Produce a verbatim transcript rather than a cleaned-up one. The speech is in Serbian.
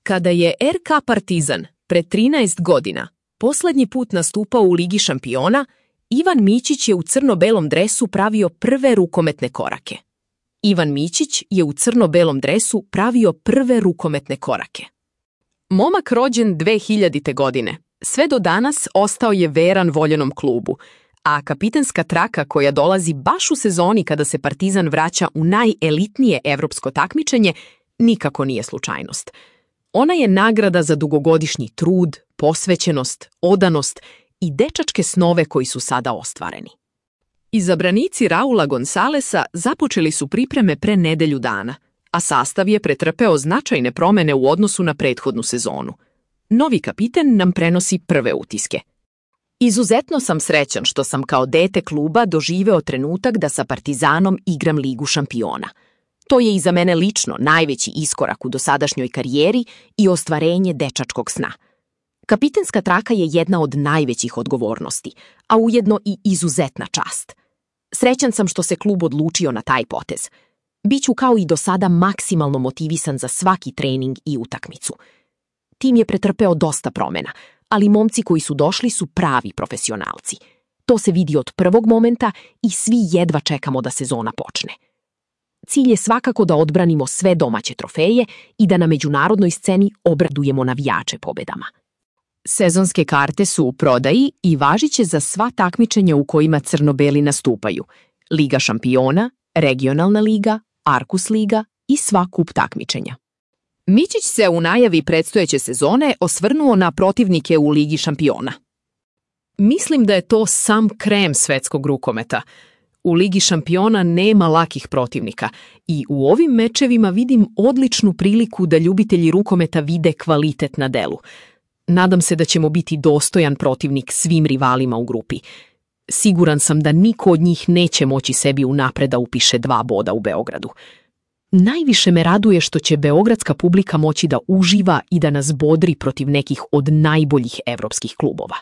Kada je er ka Partizan pre trinaest godina poslednji put nastupao u Ligi šampiona, Ivan Mićić je u crno-belom dresu pravio prve rukometne korake. Ivan Mićić je u crno-belom dresu pravio prve rukometne korake. Momak rođen dve hiljadite. godine, sve do danas ostao je veran voljenom klubu, a kapitenska traka koja dolazi baš u sezoni kada se Partizan vraća u najelitnije evropsko takmičenje nikako nije slučajnost. Ona je nagrada za dugogodišnji trud, posvećenost, odanost i dečačke snove koji su sada ostvareni. Izabranici Raula Gonsalesa započeli su pripreme pre nedelju dana, a sastav je pretrpeo značajne promene u odnosu na prethodnu sezonu. Novi kapiten nam prenosi prve utiske. Izuzetno sam srećan što sam kao dete kluba doživeo trenutak da sa Partizanom igram Ligu šampiona. To je i za mene lično najveći iskorak u dosadašnjoj karijeri i ostvarenje dečačkog sna. Kapitenska traka je jedna od najvećih odgovornosti, a ujedno i izuzetna čast. Srećan sam što se klub odlučio na taj potez. Biću kao i do sada maksimalno motivisan za svaki trening i utakmicu. Tim je pretrpeo dosta promena, ali momci koji su došli su pravi profesionalci. To se vidi od prvog momenta i svi jedva čekamo da sezona počne. Cilj je svakako da odbranimo sve domaće trofeje i da na međunarodnoj sceni obradujemo navijače pobedama. Sezonske karte su u prodaji i važiće za sva takmičenja u kojima crno-beli nastupaju: Liga šampiona, regionalna liga, Arkus liga i sva kup takmičenja. Mićić se u najavi predstojeće sezone osvrnuo na protivnike u Ligi šampiona. Mislim da je to sam krem svetskog rukometa. U Ligi šampiona nema lakih protivnika i u ovim mečevima vidim odličnu priliku da ljubitelji rukometa vide kvalitet na delu. Nadam se da ćemo biti dostojan protivnik svim rivalima u grupi. Siguran sam da niko od njih neće moći sebi unapred da upiše dva boda u Beogradu. Najviše me raduje što će beogradska publika moći da uživa i da nas bodri protiv nekih od najboljih evropskih klubova.